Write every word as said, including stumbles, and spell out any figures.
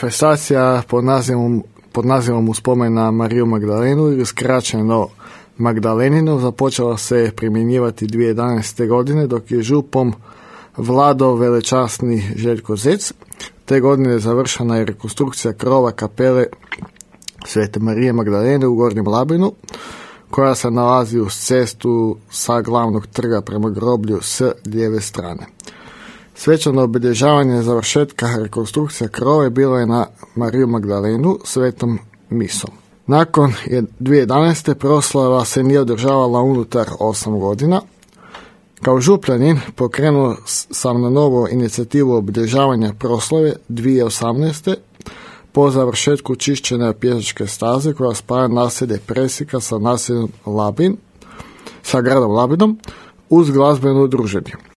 manifestacija pod nazivom, pod nazivom u spomen na Mariju Magdalenu ili skraćeno Magdaleninu započela se primjenjivati dvije tisuće jedanaeste. godine dok je župom vladao velečasni Željko Zec. Te godine završena je rekonstrukcija krova kapele Svete Marije Magdalene u Gornjem Labinu, koja se nalazi uz cestu sa glavnog trga prema groblju s lijeve strane. Svečano obilježavanje završetka rekonstrukcija krova bilo je na Mariju Magdalenu svetom misom. Nakon dvije tisuće jedanaeste. proslava se nije održavala unutar osam godina. Kao župljanin pokrenuo sam na novo inicijativu obilježavanja proslave dvije tisuće osamnaeste. po završetku čišćenja pješačke staze koja spaja naselje Presika sa naseljem Labin, sa gradom Labinom uz glazbeno druženje.